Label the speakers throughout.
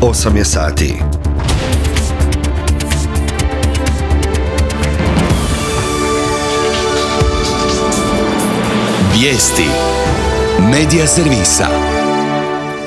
Speaker 1: 8 je sati.
Speaker 2: Vijesti Medija servisa.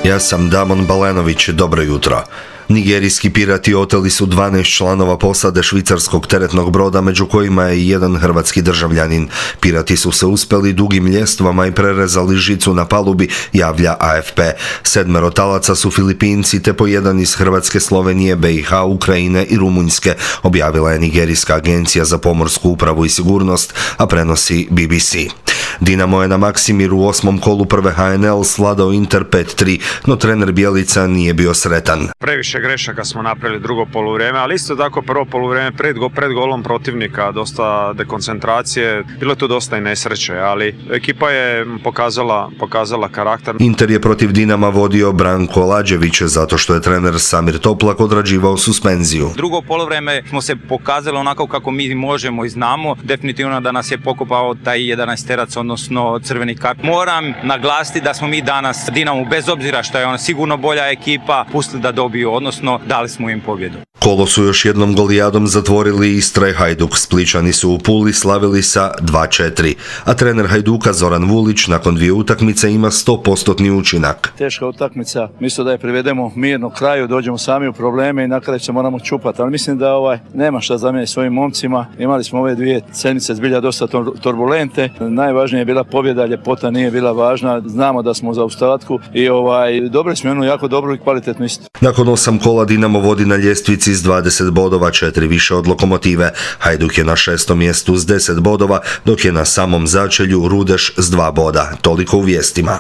Speaker 1: Ja sam Damon Balenović, dobro jutro. Nigerijski pirati oteli su 12 članova posade švicarskog teretnog broda, među kojima je i jedan hrvatski državljanin. Pirati su se uspjeli dugim ljestvama i prerezali žicu na palubi, javlja AFP. 7 talaca su Filipinci, te po jedan iz Hrvatske, Slovenije, BiH, Ukrajine i Rumunjske, objavila je Nigerijska agencija za pomorsku upravu i sigurnost, a prenosi BBC. Dinamo je na Maksimiru u 8. kolu prve HNL svladao Inter 5-3, no trener Bjelica nije bio sretan.
Speaker 3: Previše grešaka smo napravili drugo poluvrijeme, ali isto tako prvo poluvrijeme pred golom protivnika, dosta dekoncentracije, bilo je tu dosta i nesreće, ali ekipa je pokazala karakter.
Speaker 1: Inter je protiv Dinama vodio Branko Lađević zato što je trener Samir Toplak odrađivao suspenziju.
Speaker 4: Drugo poluvrijeme smo se pokazali onako kako mi možemo i znamo, definitivno da nas je pokopao taj 11-terac, odnosno crveni kart. Moram naglasiti da smo mi danas Dinamu, bez obzira što je ona sigurno bolja ekipa, pustili da dobiju, odnosno dali smo im pobjedu.
Speaker 1: Kolo su još jednom golijadom zatvorili Istra i Hajduk. Splićani su u Puli slavili sa 2-4, a trener Hajduka Zoran Vulić nakon 2 utakmice ima 100% učinak.
Speaker 5: Teška utakmica, mislim da je privedemo mirno kraju, dođemo sami u probleme i na kraju se moramo čupati, ali mislim da nema šta zamijeniti svojim momcima. Imali smo ove 2 sedmice zbilja dosta turbulente, najvažnija je bila pobjeda, ljepota nije bila važna, znamo da smo u zaostatku i dobili smo jednu jako dobru i kvalitetnu istu.
Speaker 1: Nakon 8 kola Dinamo vodi na ljestvici s 20 bodova, 4 više od Lokomotive. Hajduk je na 6. mjestu s 10 bodova, dok je na samom začelju Rudeš s 2 boda. Toliko u vijestima.